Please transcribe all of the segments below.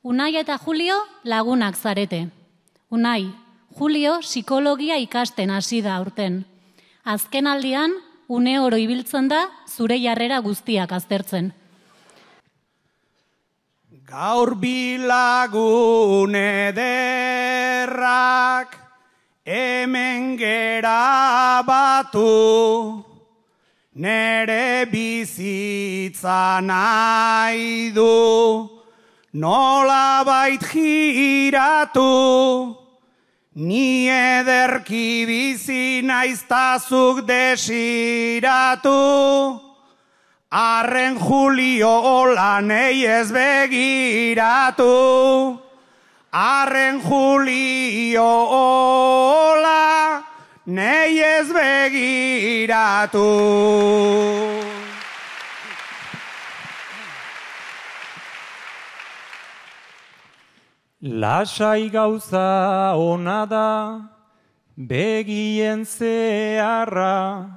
Unai eta Julio lagunak zarete. Unai, Julio psikologia ikasten hasi da aurten. Azken aldian, une oro ibiltzen da zure jarrera guztiak aztertzen. Gaur bilagun ederrak hemen gera batu, nere bizitza nahi du, nolabait giratu, ni ederki bizi naiztazuk desiratu, arren Julio hola nei ez begiratu, arren Julio hola nei ez begiratu. Lasai gauza ona da, begien zeharra,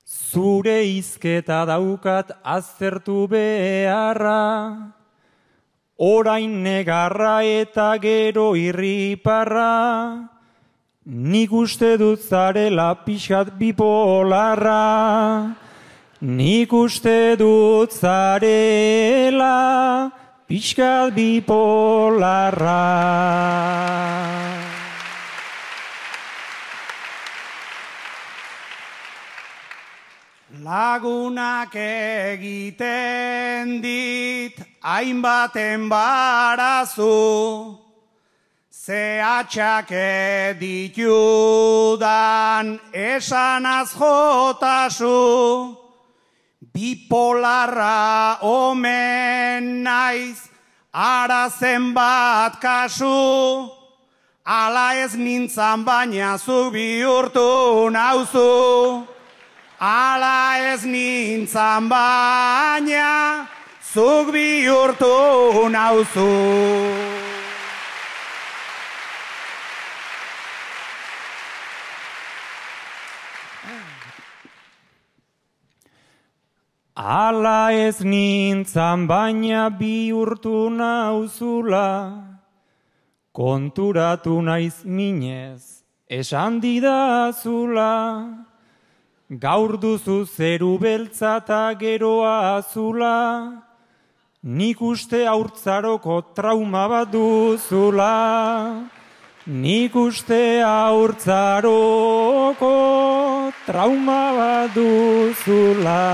zure hizketa daukat aztertu beharra, orain negarra eta gero irriparra, nik uste dut zarela pixat bipolarra, nik uste dut zarela pixkat bipolarra. Lagunak egiten dit hainbat enbarazu, zehatxak ditudan esanaz jotasu, bipolarra omen naiz ara zenbat kasu, ala ez nintzan baina zu bihurtu nauzu. Ala ez nintzan baina, zuk bihurtu nauzu. Ala ez nintzan baina bihurtu nauzula, konturatu naiz minez, esan didazula. Gaur duzu zeru beltza eta geroa azula, nik uste haurtzaroko trauma bat duzula. Nik uste haurtzaroko trauma bat duzula.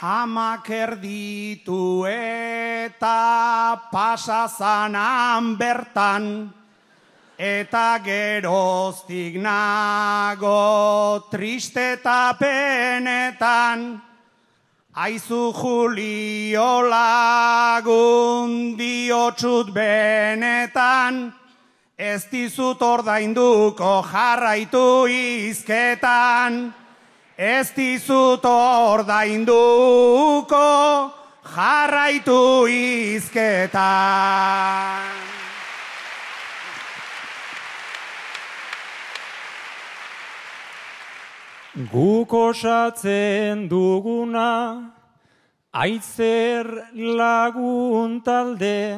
Amak erditu eta pasazanan bertan, eta geroztik nago triste eta penetan. Aizu Julio lagun diotsut benetan, ez dizut ordainduko jarraitu hizketan. Ez dizut ordainduko jarraitu hizketan. Guk osatzen duguna, Aitzer lagun talde,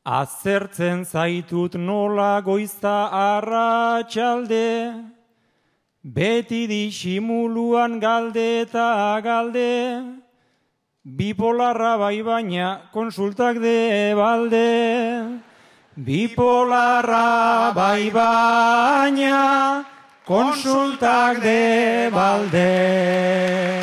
azertzen zaitut nola goizta arratsalde, beti disimuluan galde eta galde, bipolarra bai baina konsultak de balde. Bipolarra bai baina konsultak de balde.